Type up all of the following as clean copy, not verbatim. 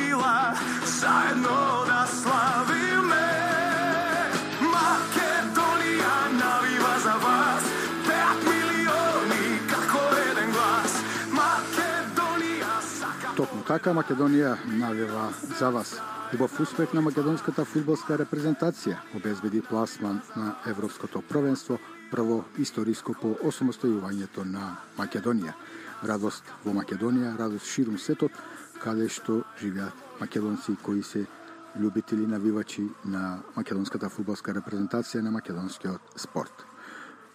krila, zajedno da slavime. Makedonija naviva za vas, 5 milioni kako jedan glas. Makedonija saka... Токму така Македонија навива за вас. Убав успех на македонската фудбалска репрезентација обезбеди пласман на Европското првенство, прво историско по осамостојувањето на Македонија. Радост во Македонија, радост ширум светот, каде што живеат македонци кои се љубители навивачи на македонската фудбалска репрезентација на македонскиот спорт.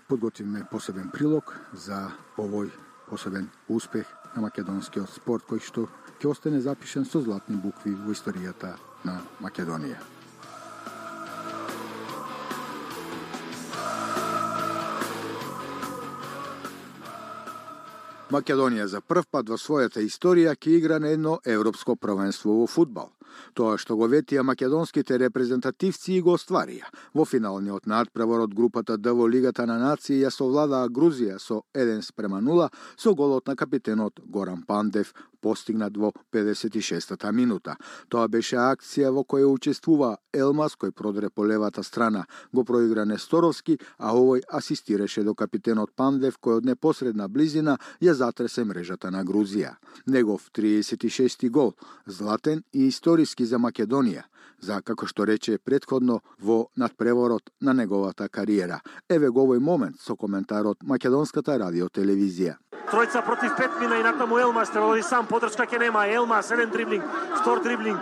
Подготвиме посебен прилог за овој посебен успех на македонскиот спорт кој што ќе остане запишен со златни букви во историјата на Македонија. Македонија за прв пат во својата историја ќе игра на едно европско првенство во фудбал. Тоа што го ветија македонските репрезентативци и го остварија. Во финалниот надпревар од групата Д во Лигата на нации ја совладаа Грузија со 1:0 со голот на капитенот Горан Пандев, постигнат во 56-та минута. Тоа беше акција во која учествува Елмас, кој продре по левата страна, го проигра Несторовски, а овој асистираше до капитенот Пандев, кој од непосредна близина ја затресе мрежата на Грузија. Негов 36-ти гол, златен и историски за Македонија, за, како што рече предходно, во надпреворот на неговата кариера. Еве го овој момент со коментарот Македонската радиотелевизија. Тројца против 5 мина и натаму Елмас, требало сам, подршка ке нема. Елмас, еден дриблинг, втор дриблинг.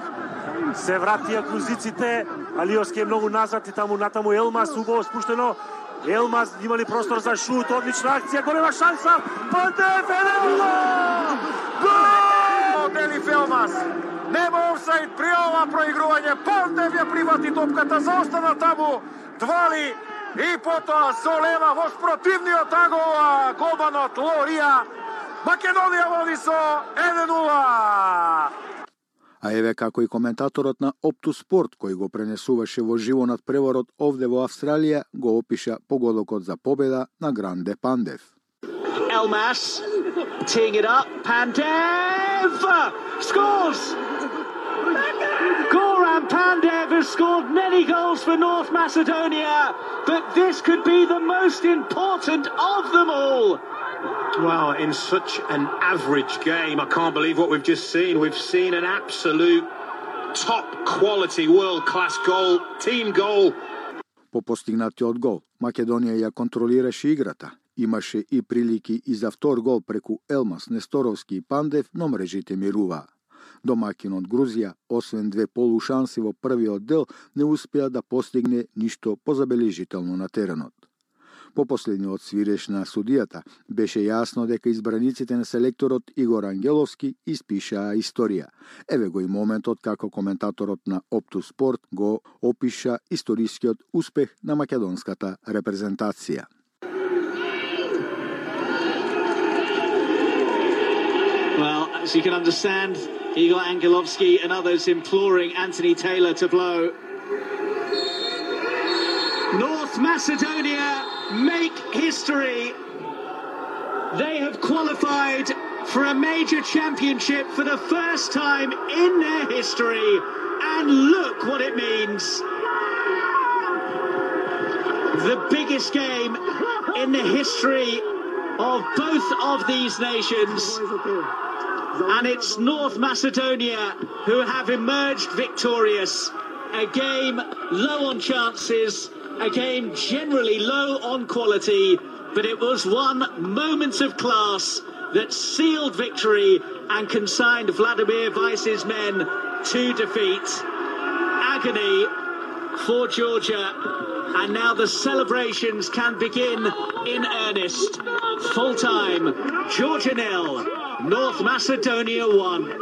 Се вратија грузиците, Алиовски е многу назад и таму натаму Елмас, убаво спуштено. Елмас имали простор за шут, одлична акција, голема шанса. Пандев, 1:0! Гол! Делиф Елмас. Нема офсайд при ова проигрување. Пандев ја прифати топката, заостана таму. Двали и потоа со лева во спротивниот агол голманот Лорија. Македонија води со 1:0. А еве како и коментаторот на Опту Спорт, кој го пренесуваше во живо надпреварот овде во Австралија, го опиша погодокот за победа на Гранде Пандев. Elmas teeing it up. Pandev scores! Goran Pandev has scored many goals for North Macedonia, but this could be the most important of them all. Well, in such an average game, I can't believe what we've just seen. We've seen an absolute top quality, world-class goal, team goal. По постигнатиот гол, Македонија ја контролираше играта. Имаше и прилики и за втор гол преку Елмас, Несторовски и Пандев, но мрежите мируваа. Домакинот Грузија, освен две полушанси во првиот дел, не успеа да постигне ништо позабележително на теренот. По последниот свиреш на судијата, беше јасно дека избраниците на селекторот Игор Ангеловски испишаа историја. Еве го и моментот како коментаторот на Опту Спорт го опиша историскиот успех на македонската репрезентација. Well, as you can understand, Igor Angelovski and others imploring Anthony Taylor to blow. North Macedonia make history. They have qualified for a major championship for the first time in their history, and look what it means. The biggest game in the history of both of these nations, and it's North Macedonia who have emerged victorious. A game low on chances, a game generally low on quality, but it was one moment of class that sealed victory and consigned Vladimir Weiss's men to defeat. Agony for Georgia, and now the celebrations can begin in earnest. Full time, Georgia 0, North Macedonia 1.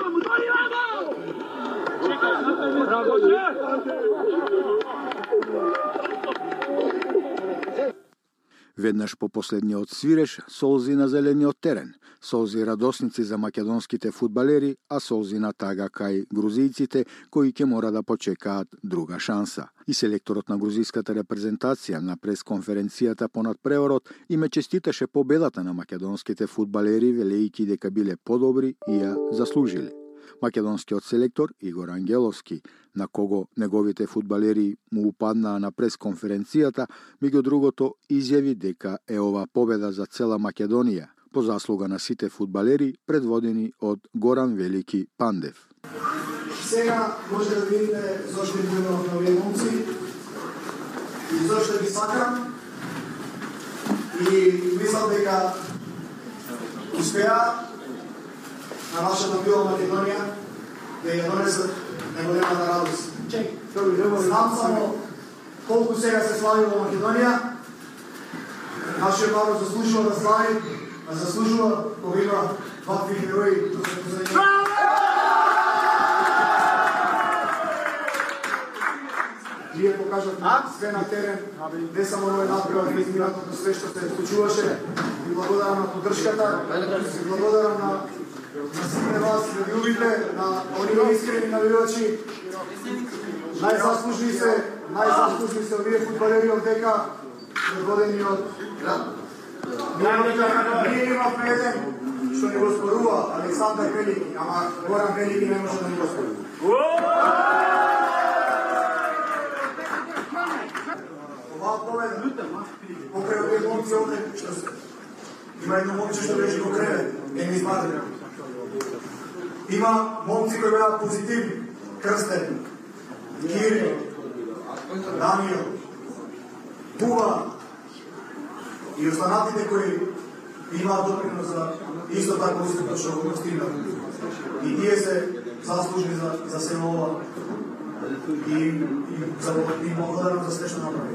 Веднаш по последниот свиреш, солзи на зелениот терен, солзи радосници за македонските фудбалери, а солзи на тага кај грузијците кои ќе мора да почекаат друга шанса. И селекторот на грузиската репрезентација на пресконференцијата по надпреварот име честиташе победата на македонските фудбалери, велејќи дека биле подобри и ја заслужили. Македонскиот селектор Игор Ангеловски, на кого неговите фудбалери му упаднаа на пресконференцијата, меѓу другото изјави дека е ова победа за цела Македонија, по заслуга на сите фудбалери предводени од Горан Велики Пандев. Сега може да видите зошто ги имам на овие момци и зошто ги сакам и мислам дека успеа на нашата мила Македонија да ја донесат неголемата радост. Знам само колку сега се слави во Македонија. Нашиот народ заслужува да слави, а заслужува кога има вакви герои. Вие покажавте све на терен, не само овој надпревар, но изминатото све што се случуваше. Ви благодарам на поддршката, ви благодарам на сите вас, ljubite, на оние искрени навивачи. Најзаслужни се овие фудбалери од дека, предводени од ние имавме еден што ни го спорува, Александар Велики, ама Горан Велики не може да ни го спорува. Оваа победа, покрај овие момци овде, има едно момче што беше во кревет, не ми измадри. Има момци кои беа позитивни, Крстен, Кирил, Даниел, Тува и останатите кои имаат допринос за исто така успех што го постигнат. И тие се заслужни за се ова и им благодарам за све што направи.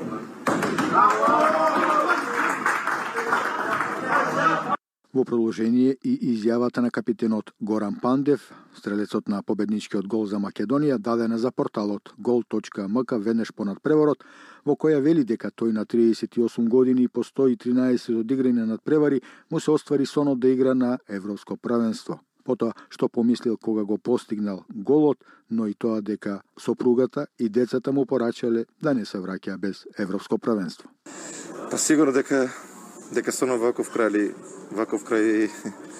Во продолжение и изјавата на капитенот Горан Пандев, стрелецот на победничкиот гол за Македонија, дадена за порталот gol.mk веднаш понад преворот, во која вели дека тој на 38 години по 113 одиграни надпревари му се оствари сонот да игра на Европско првенство. Потоа што помислил кога го постигнал голот, но и тоа дека сопругата и децата му порачале да не се враќа без Европско првенство. Па сигурно дека сонов ваков крај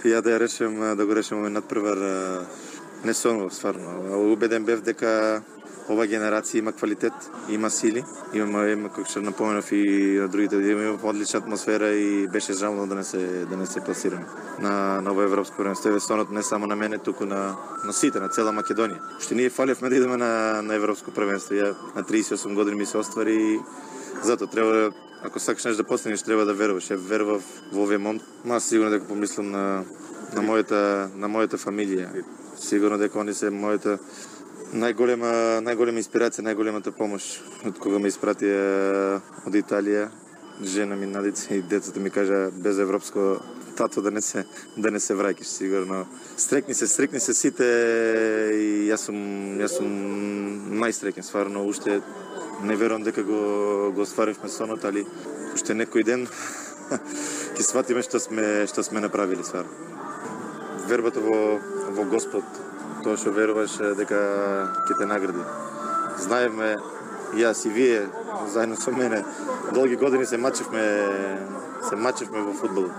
ја да ја речем, да го речем овој надпревар не сонов стварно. Убеден бев дека ова генерација има квалитет, има сили, има како што напоменав и на другите, има одлична атмосфера и беше жално да не се пласираме на ова европско првенство. Сонот не само на мене, туку на сите, на цела Македонија. Што ние фалевме да идеме на европско првенство. Ја на 38 години ми се оствари, затоа треба, ако сакаш нешто да постигнеш, треба да веруваш. Ја верував во овие момци. Аз сигурно дека помислам на мојата фамилија. Сигурно дека они се мојата најголема инспирација, најголемата помош од кога ме испратија од Италија. Жена ми, Надица и децата ми кажа без европско тато да не се враќаш, сигурно. Стрекни се сите и јас сум најстрекен, стварно, уште не верувам дека го остваривме сонот, али уште некој ден ќе сватиме што сме направили, стварно. Вербата во Господ, тоа што веруваш дека ќе те награди. Знаеме, јас и вие, заедно со мене, долги години се мачевме во фудбал.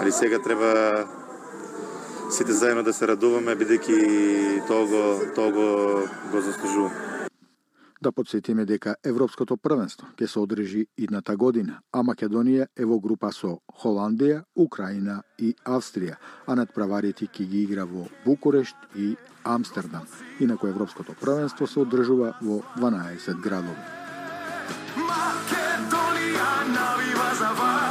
Али сега треба сите заедно да се радуваме, бидејќи тоа го заслужува. Да подсетиме дека Европското првенство ќе се одржи идната година, а Македонија е во група со Холандија, Украина и Австрија, а надпреварите ќе ги игра во Букурешт и Амстердам. Инаку Европското првенство се одржува во 12 градови. Македонија навива за вас.